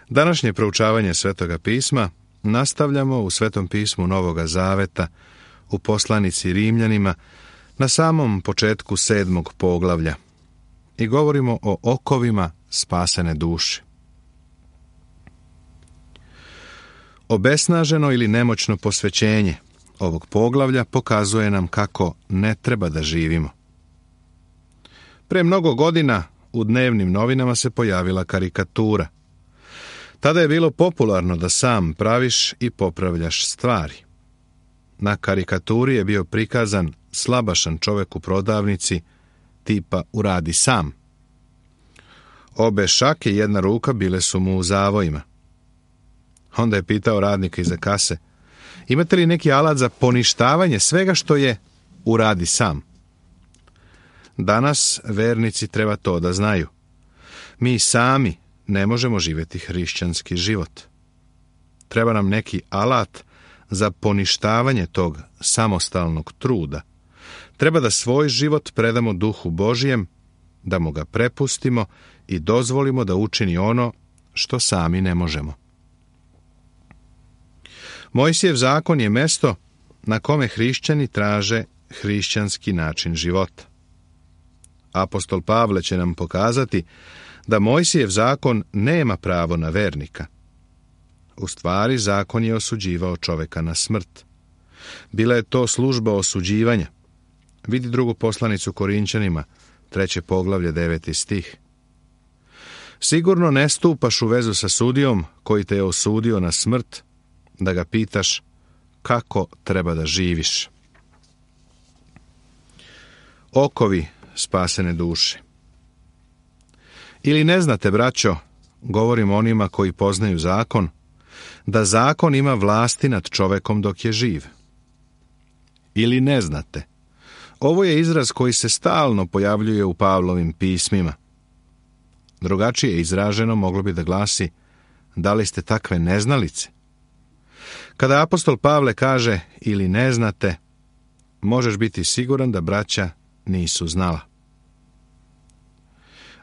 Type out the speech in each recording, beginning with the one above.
Današnje proučavanje Svetoga pisma nastavljamo u Svetom pismu Novoga Zaveta, u poslanici Rimljanima, na samom početku 7. poglavlja i govorimo o okovima spasene duše. Obesnaženo ili nemoćno posvećenje ovog poglavlja pokazuje nam kako ne treba da živimo. Pre mnogo godina u dnevnim novinama se pojavila karikatura. Tada je bilo popularno da sam praviš i popravljaš stvari. Na karikaturi je bio prikazan slabašan čovjek u prodavnici, tipa uradi sam. Obe šake i jedna ruka bile su mu u zavojima. Onda je pitao radnika iza kase: imate li neki alat za poništavanje svega što je uradi sam? Danas vernici treba to da znaju. Mi sami ne možemo živjeti hrišćanski život. Treba nam neki alat za poništavanje tog samostalnog truda. Treba da svoj život predamo Duhu Božijem, da mu ga prepustimo i dozvolimo da učini ono što sami ne možemo. Mojsijev zakon je mesto na kome hrišćani traže hrišćanski način života. Apostol Pavle će nam pokazati da Mojsijev zakon nema pravo na vernika. U stvari, zakon je osuđivao čoveka na smrt. Bila je to služba osuđivanja. Vidi drugu poslanicu Korinćanima, 3. poglavlje, 9. stih. Sigurno ne stupaš u vezu sa sudijom koji te je osudio na smrt, da ga pitaš kako treba da živiš. Okovi spasene duše. Ili ne znate, braćo, govorim onima koji poznaju zakon, da zakon ima vlasti nad čovekom dok je živ. Ili ne znate. Ovo je izraz koji se stalno pojavljuje u Pavlovim pismima. Drugačije izraženo moglo bi da glasi: da li ste takve neznalice? Kada apostol Pavle kaže ili ne znate, možeš biti siguran da braća nisu znala.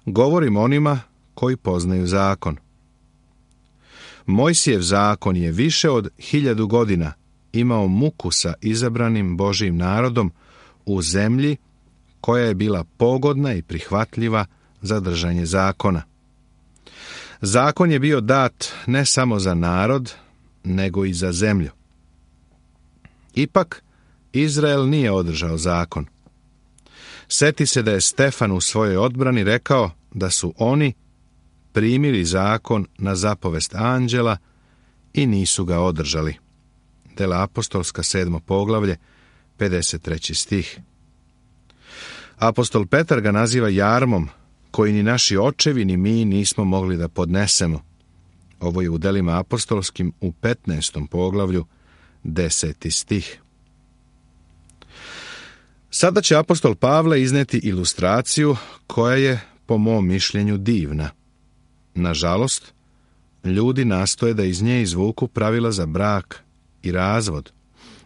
Govorim onima koji poznaju zakon. Mojsijev zakon je više od 1000 godina imao muku sa izabranim Božijim narodom u zemlji koja je bila pogodna i prihvatljiva za držanje zakona. Zakon je bio dat ne samo za narod, nego i za zemlju. Ipak, Izrael nije održao zakon. Seti se da je Stefan u svojoj odbrani rekao da su oni primili zakon na zapovest anđela i nisu ga održali. Dela apostolska, 7. poglavlje, 53. stih. Apostol Petar ga naziva jarmom koji ni naši očevi ni mi nismo mogli da podnesemo. Ovo je u delima apostolskim u 15. poglavlju, 10. stih. Sada će apostol Pavle izneti ilustraciju koja je, po mom mišljenju, divna. Nažalost, ljudi nastoje da iz nje izvuku pravila za brak i razvod.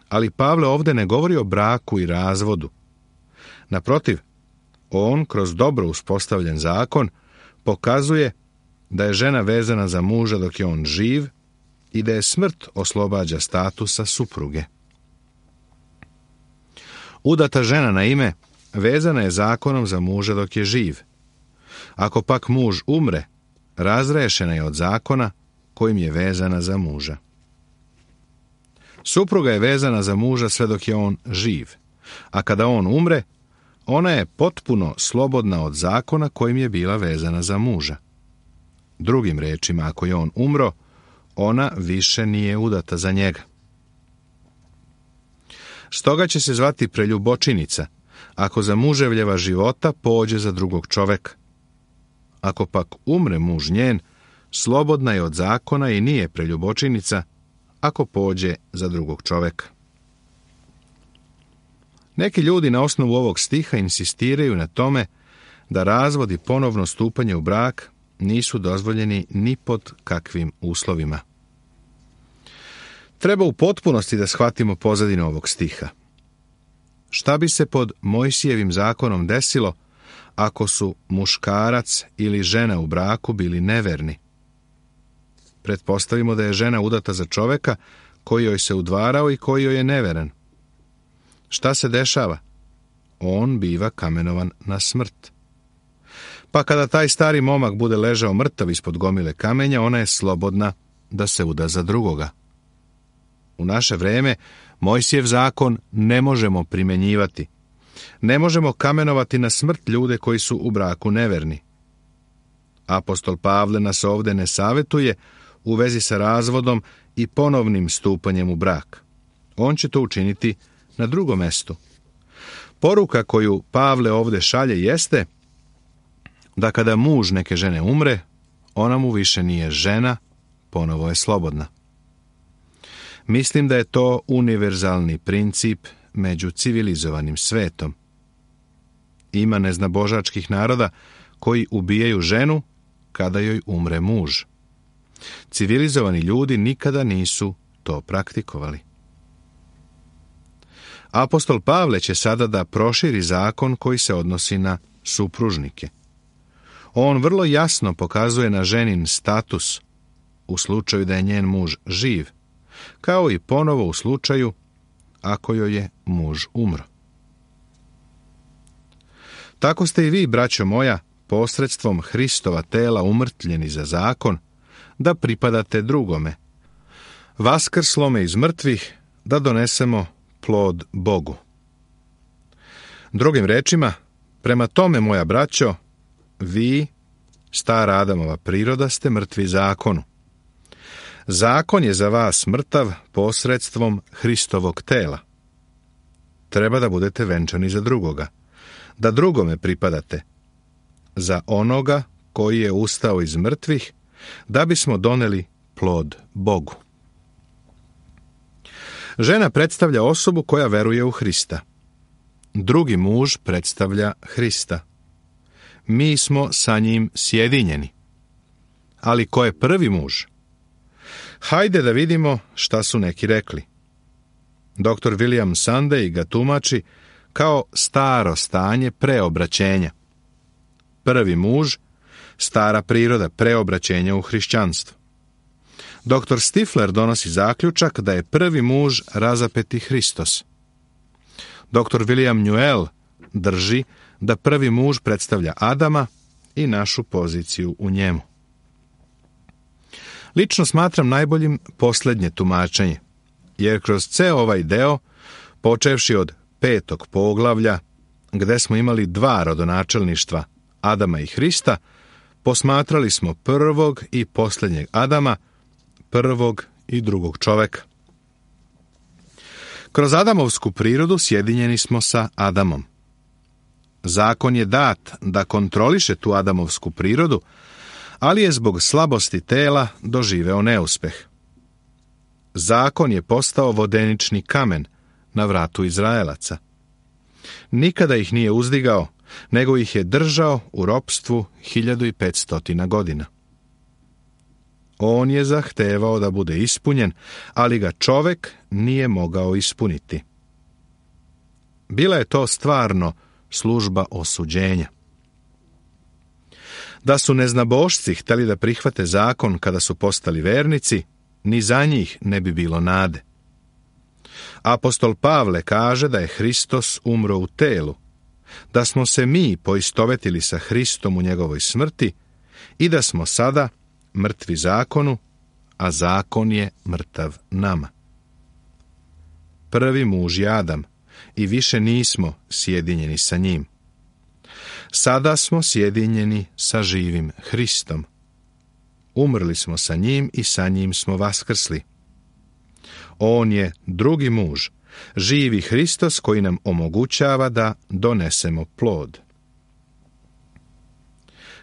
Ali Pavle ovdje ne govori o braku i razvodu. Naprotiv, on kroz dobro uspostavljen zakon pokazuje da je žena vezana za muža dok je on živ i da je smrt oslobađa statusa supruge. Udata žena na ime vezana je zakonom za muža dok je živ. Ako pak muž umre, razrešena je od zakona kojim je vezana za muža. Supruga je vezana za muža sve dok je on živ, a kada on umre, ona je potpuno slobodna od zakona kojim je bila vezana za muža. Drugim rečima, ako je on umro, ona više nije udata za njega. Stoga će se zvati preljubočinica, ako za muževljeva života pođe za drugog čoveka. Ako pak umre muž njen, slobodna je od zakona i nije preljubočinica, ako pođe za drugog čoveka. Neki ljudi na osnovu ovog stiha insistiraju na tome da razvod i ponovno stupanje u brak nisu dozvoljeni ni pod kakvim uslovima. Treba u potpunosti da shvatimo pozadinu ovog stiha. Šta bi se pod Mojsijevim zakonom desilo ako su muškarac ili žena u braku bili neverni? Pretpostavimo da je žena udata za čoveka koji joj se udvarao i koji joj je neveren. Šta se dešava? On biva kamenovan na smrt. Pa kada taj stari momak bude ležao mrtav ispod gomile kamenja, ona je slobodna da se uda za drugoga. U naše vreme Mojsijev zakon ne možemo primjenjivati. Ne možemo kamenovati na smrt ljude koji su u braku neverni. Apostol Pavle nas ovdje ne savjetuje u vezi sa razvodom i ponovnim stupanjem u brak. On će to učiniti na drugom mjestu. Poruka koju Pavle ovdje šalje jeste da kada muž neke žene umre, ona mu više nije žena, ponovo je slobodna. Mislim da je to univerzalni princip među civilizovanim svetom. Ima neznabožačkih naroda koji ubijaju ženu kada joj umre muž. Civilizovani ljudi nikada nisu to praktikovali. Apostol Pavle će sada da proširi zakon koji se odnosi na supružnike. On vrlo jasno pokazuje na ženin status u slučaju da je njen muž živ, kao i ponovo u slučaju ako joj je muž umro. Tako ste i vi, braćo moja, posredstvom Hristova tela umrtvljeni za zakon, da pripadate drugome, vaskrslome iz mrtvih, da donesemo plod Bogu. Drugim rečima, prema tome, moja braćo, vi, stara Adamova priroda, ste mrtvi zakonu. Zakon je za vas mrtav posredstvom Hristovog tela. Treba da budete venčani za drugoga, da drugome pripadate, za onoga koji je ustao iz mrtvih, da bismo doneli plod Bogu. Žena predstavlja osobu koja veruje u Hrista. Drugi muž predstavlja Hrista. Mi smo sa njim sjedinjeni. Ali ko je prvi muž? Hajde da vidimo šta su neki rekli. Dr. William Sunday ga tumači kao staro stanje preobraćenja. Prvi muž, stara priroda preobraćenja u hrišćanstvo. Dr. Stifler donosi zaključak da je prvi muž razapeti Hristos. Dr. William Newell drži da prvi muž predstavlja Adama i našu poziciju u njemu. Lično smatram najboljim posljednje tumačenje, jer kroz ceo ovaj deo, počevši od 5. poglavlja, gde smo imali 2 rodonačelništva, Adama i Hrista, posmatrali smo prvog i posljednjeg Adama, prvog i drugog čoveka. Kroz Adamovsku prirodu sjedinjeni smo sa Adamom. Zakon je dat da kontroliše tu Adamovsku prirodu, ali je zbog slabosti tela doživeo neuspeh. Zakon je postao vodenični kamen na vratu Izraelaca. Nikada ih nije uzdigao, nego ih je držao u ropstvu 1500 godina. On je zahtevao da bude ispunjen, ali ga čovek nije mogao ispuniti. Bila je to stvarno služba osuđenja. Da su neznabošci htjeli da prihvate zakon kada su postali vernici, ni za njih ne bi bilo nade. Apostol Pavle kaže da je Hristos umro u telu, da smo se mi poistovetili sa Hristom u njegovoj smrti i da smo sada mrtvi zakonu, a zakon je mrtav nama. Prvi muž je Adam i više nismo sjedinjeni sa njim. Sada smo sjedinjeni sa živim Hristom. Umrli smo sa njim i sa njim smo vaskrsli. On je drugi muž, živi Hristos koji nam omogućava da donesemo plod.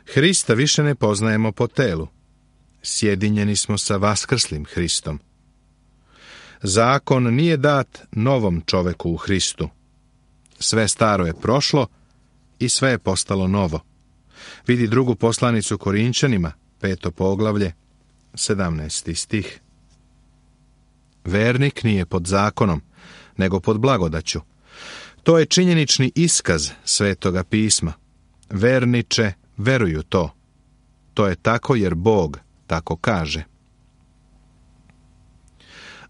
Hrista više ne poznajemo po telu. Sjedinjeni smo sa vaskrslim Hristom. Zakon nije dat novom čoveku u Hristu. Sve staro je prošlo i sve je postalo novo. Vidi drugu poslanicu Korinčanima, 5. poglavlje, 17. stih. Vernik nije pod zakonom, nego pod blagodaću. To je činjenični iskaz Svetoga pisma. Verniče, veruju to. To je tako jer Bog tako kaže.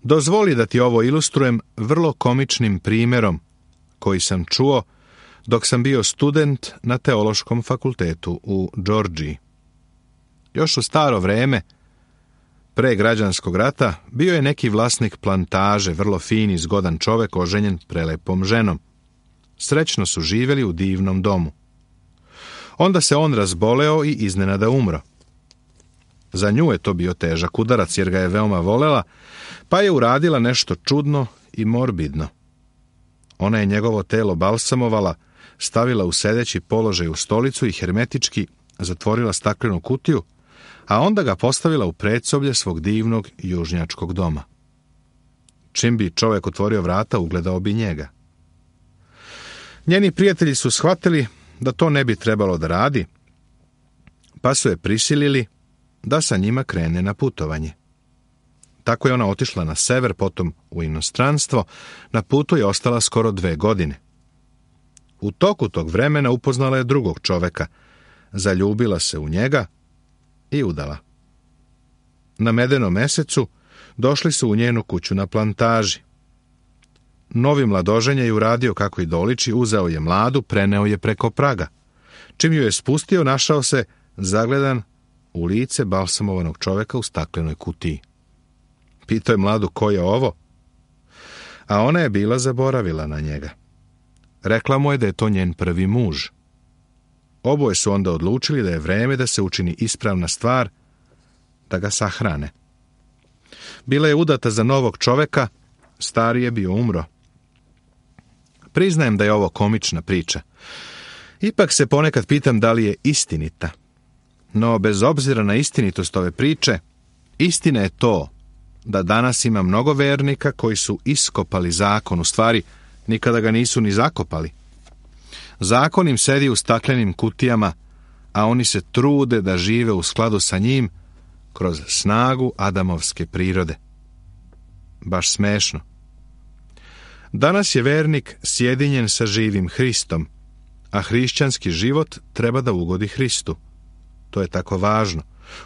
Dozvoli da ti ovo ilustrujem vrlo komičnim primjerom koji sam čuo dok sam bio student na teološkom fakultetu u Džordžiji. Još u staro vreme, pre građanskog rata, bio je neki vlasnik plantaže, vrlo fin i zgodan čovek oženjen prelepom ženom. Srećno su živjeli u divnom domu. Onda se on razboleo i iznenada umro. Za nju je to bio težak udarac jer ga je veoma volela, pa je uradila nešto čudno i morbidno. Ona je njegovo telo balsamovala, stavila u sedeći položaj u stolicu i hermetički zatvorila staklenu kutiju, a onda ga postavila u predsoblje svog divnog južnjačkog doma. Čim bi čovjek otvorio vrata, ugledao bi njega. Njeni prijatelji su shvatili da to ne bi trebalo da radi, pa su je prisilili da sa njima krene na putovanje. Tako je ona otišla na sever, potom u inostranstvo, na putu je ostala skoro 2 godine. U toku tog vremena upoznala je drugog čoveka, zaljubila se u njega i udala. Na medenom mesecu došli su u njenu kuću na plantaži. Novi mladoženje je uradio kako i doliči, uzeo je mladu, preneo je preko praga. Čim ju je spustio, našao se zagledan u lice balsamovanog čoveka u staklenoj kutiji. Pitao je mladu ko je ovo, a ona je bila zaboravila na njega. Rekla mu je da je to njen prvi muž. Oboje su onda odlučili da je vreme da se učini ispravna stvar, da ga sahrane. Bila je udata za novog čoveka, stari je bio umro. Priznajem da je ovo komična priča. Ipak se ponekad pitam da li je istinita. No, bez obzira na istinitost ove priče, istina je to da danas ima mnogo vernika koji su iskopali zakon, u stvari nikada ga nisu ni zakopali. Zakon im sedi u staklenim kutijama, a oni se trude da žive u skladu sa njim kroz snagu Adamovske prirode. Baš smešno. Danas je vernik sjedinjen sa živim Hristom, a hrišćanski život treba da ugodi Hristu. To je tako važno.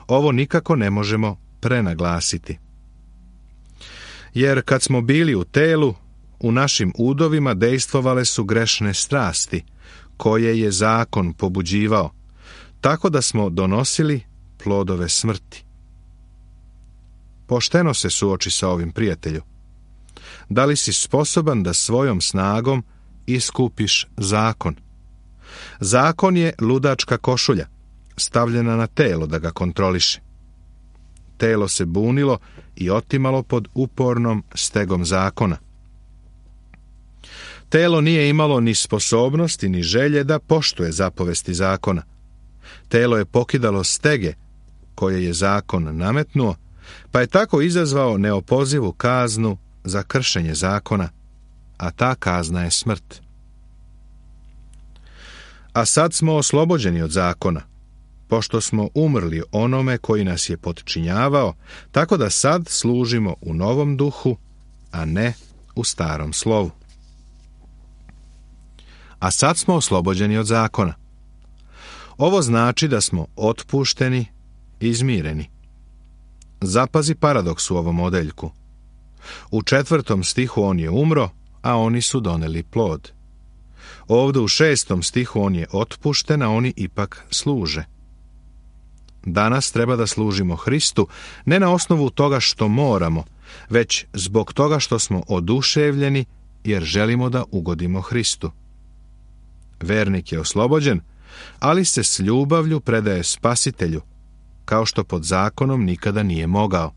Ovo nikako ne možemo prenaglasiti. Jer kad smo bili u telu, u našim udovima dejstvovale su grešne strasti, koje je zakon pobuđivao, tako da smo donosili plodove smrti. Pošteno se suoči sa ovim, prijatelju. Da li si sposoban da svojom snagom iskupiš zakon? Zakon je ludačka košulja, stavljena na telo da ga kontroliše. Telo se bunilo i otimalo pod upornom stegom zakona. Telo nije imalo ni sposobnosti ni želje da poštuje zapovesti zakona. Telo je pokidalo stege koje je zakon nametnuo, pa je tako izazvao neopozivu kaznu za kršenje zakona, a ta kazna je smrt. A sad smo oslobođeni od zakona, pošto smo umrli onome koji nas je potčinjavao, tako da sad služimo u novom duhu, a ne u starom slovu. A sad smo oslobođeni od zakona. Ovo znači da smo otpušteni i izmireni. Zapazi paradoks u ovom odeljku. U 4. stihu on je umro, a oni su doneli plod. Ovdje u 6. stihu on je otpušten, a oni ipak služe. Danas treba da služimo Hristu, ne na osnovu toga što moramo, već zbog toga što smo oduševljeni jer želimo da ugodimo Hristu. Vernik je oslobođen, ali se s ljubavlju predaje Spasitelju, kao što pod zakonom nikada nije mogao.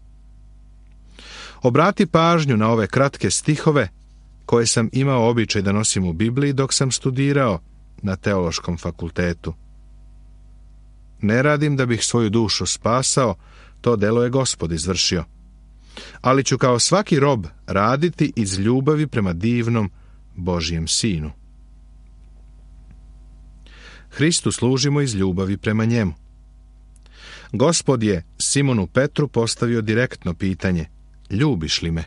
Obrati pažnju na ove kratke stihove koje sam imao običaj da nosim u Bibliji dok sam studirao na teološkom fakultetu. Ne radim da bih svoju dušu spasao, to delo je Gospod izvršio. Ali ću kao svaki rob raditi iz ljubavi prema divnom Božjem Sinu. Hristu služimo iz ljubavi prema njemu. Gospod je Simonu Petru postavio direktno pitanje: ljubiš li me?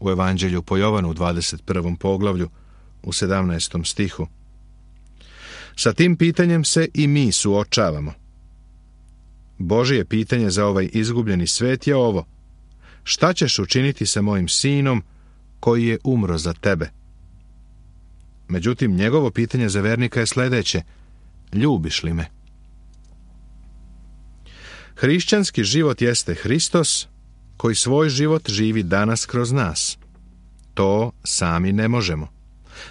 U Evanđelju po Jovanu u 21. poglavlju u 17. stihu. Sa tim pitanjem se i mi suočavamo. Božje pitanje za ovaj izgubljeni svet je ovo: šta ćeš učiniti sa mojim sinom koji je umro za tebe? Međutim, njegovo pitanje za vernika je sljedeće: ljubiš li me? Hrišćanski život jeste Hristos koji svoj život živi danas kroz nas. To sami ne možemo.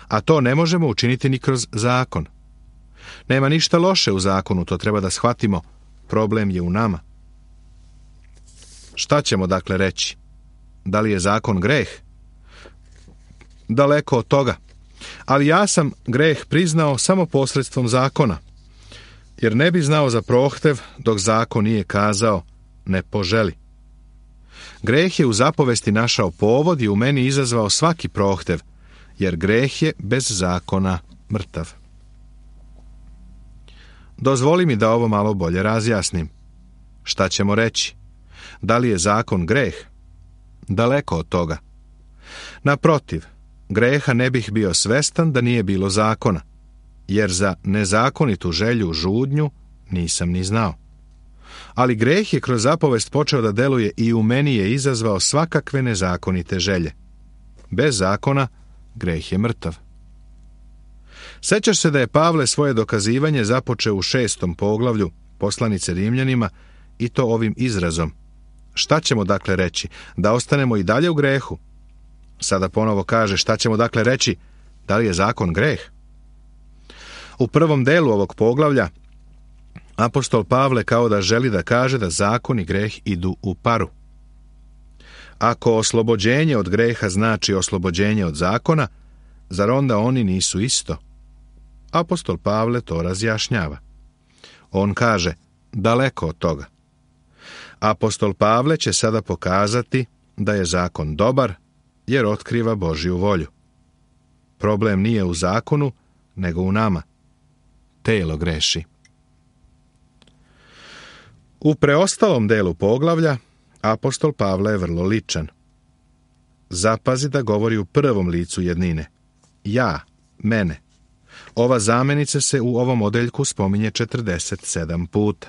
A to ne možemo učiniti ni kroz zakon. Nema ništa loše u zakonu, to treba da shvatimo. Problem je u nama. Šta ćemo dakle reći? Da li je zakon greh? Daleko od toga. Ali ja sam greh priznao samo posredstvom zakona, jer ne bi znao za prohtev dok zakon nije kazao ne poželi. Greh je u zapovesti našao povod i u meni izazvao svaki prohtev, jer greh je bez zakona mrtav. Dozvoli mi da ovo malo bolje razjasnim. Šta ćemo reći? Da li je zakon greh? Daleko od toga. Naprotiv, greha ne bih bio svestan da nije bilo zakona, jer za nezakonitu želju žudnju nisam ni znao. Ali greh je kroz zapovest počeo da deluje i u meni je izazvao svakakve nezakonite želje. Bez zakona greh je mrtav. Sećaš se da je Pavle svoje dokazivanje započeo u 6. poglavlju poslanice Rimljanima, i to ovim izrazom: šta ćemo dakle reći? Da ostanemo i dalje u grehu? Sada ponovo kaže: šta ćemo dakle reći? Da li je zakon greh? U prvom delu ovog poglavlja apostol Pavle kao da želi da kaže da zakon i greh idu u paru. Ako oslobođenje od greha znači oslobođenje od zakona, zar onda oni nisu isto? Apostol Pavle to razjašnjava. On kaže: daleko od toga. Apostol Pavle će sada pokazati da je zakon dobar, jer otkriva Božju volju. Problem nije u zakonu, nego u nama. Telo greši. U preostalom delu poglavlja apostol Pavle je vrlo ličan. Zapazi da govori u prvom licu jednine. Ja, mene. Ova zamenica se u ovom odeljku spominje 47 puta.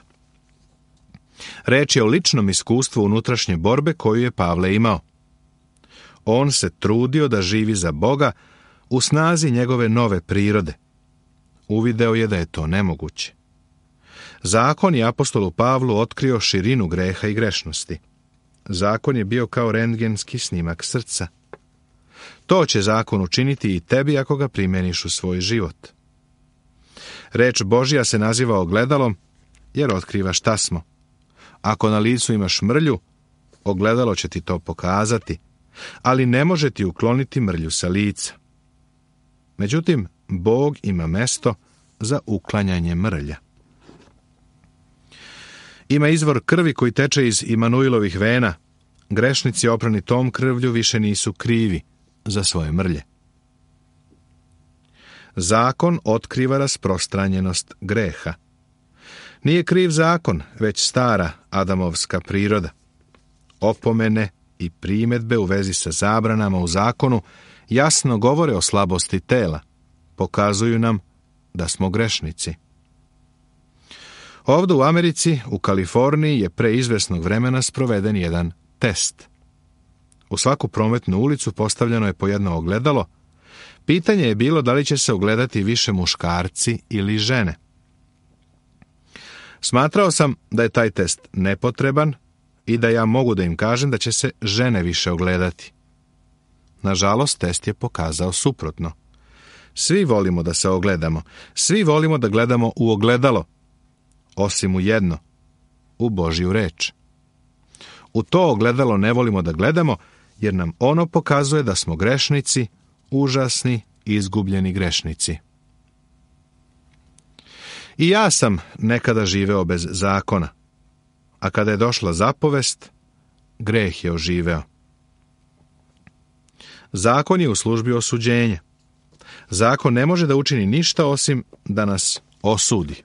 Reč je o ličnom iskustvu unutrašnje borbe koju je Pavle imao. On se trudio da živi za Boga u snazi njegove nove prirode. Uvideo je da je to nemoguće. Zakon je apostolu Pavlu otkrio širinu greha i grešnosti. Zakon je bio kao rentgenski snimak srca. To će zakon učiniti i tebi ako ga primjeniš u svoj život. Reč Božja se naziva ogledalom jer otkriva šta smo. Ako na licu imaš mrlju, ogledalo će ti to pokazati, ali ne može ti ukloniti mrlju sa lica. Međutim, Bog ima mesto za uklanjanje mrlja. Ima izvor krvi koji teče iz Imanuilovih vena. Grešnici oprani tom krvlju više nisu krivi za svoje mrlje. Zakon otkriva rasprostranjenost greha. Nije kriv zakon, već stara adamovska priroda. Opomene i primjedbe u vezi sa zabranama u zakonu jasno govore o slabosti tela, pokazuju nam da smo grešnici. Ovdje u Americi, u Kaliforniji, je pre izvesnog vremena sproveden jedan test. U svaku prometnu ulicu postavljeno je po jedno ogledalo. Pitanje je bilo da li će se ogledati više muškarci ili žene. Smatrao sam da je taj test nepotreban i da ja mogu da im kažem da će se žene više ogledati. Nažalost, test je pokazao suprotno. Svi volimo da se ogledamo, svi volimo da gledamo u ogledalo, osim u jedno, u Božju reč. U to ogledalo ne volimo da gledamo, jer nam ono pokazuje da smo grešnici, užasni, izgubljeni grešnici. I ja sam nekada živeo bez zakona, a kada je došla zapovest, greh je oživeo. Zakon je u službi osuđenja. Zakon ne može da učini ništa osim da nas osudi.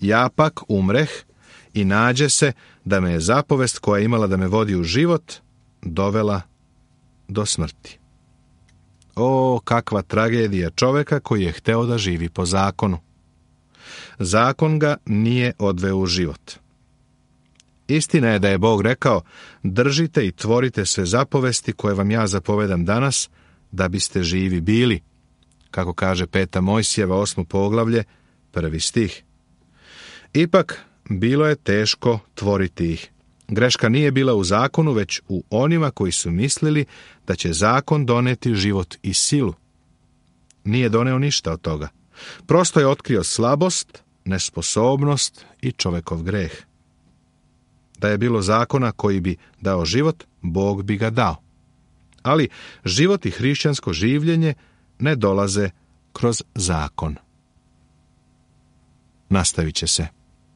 Ja pak umreh i nađe se da me je zapovest koja je imala da me vodi u život dovela do smrti. O, kakva tragedija čoveka koji je hteo da živi po zakonu. Zakon ga nije odveo u život. Istina je da je Bog rekao, držite i tvorite sve zapovesti koje vam ja zapovedam danas, da biste živi bili, kako kaže 5. Mojsijeva 8. poglavlje, 1. stih. Ipak, bilo je teško tvoriti ih. Greška nije bila u zakonu, već u onima koji su mislili da će zakon doneti život i silu. Nije doneo ništa od toga. Prosto je otkrio slabost, nesposobnost i čovekov greh. Da je bilo zakona koji bi dao život, Bog bi ga dao. Ali život i hrišćansko življenje ne dolaze kroz zakon. Nastavit će se.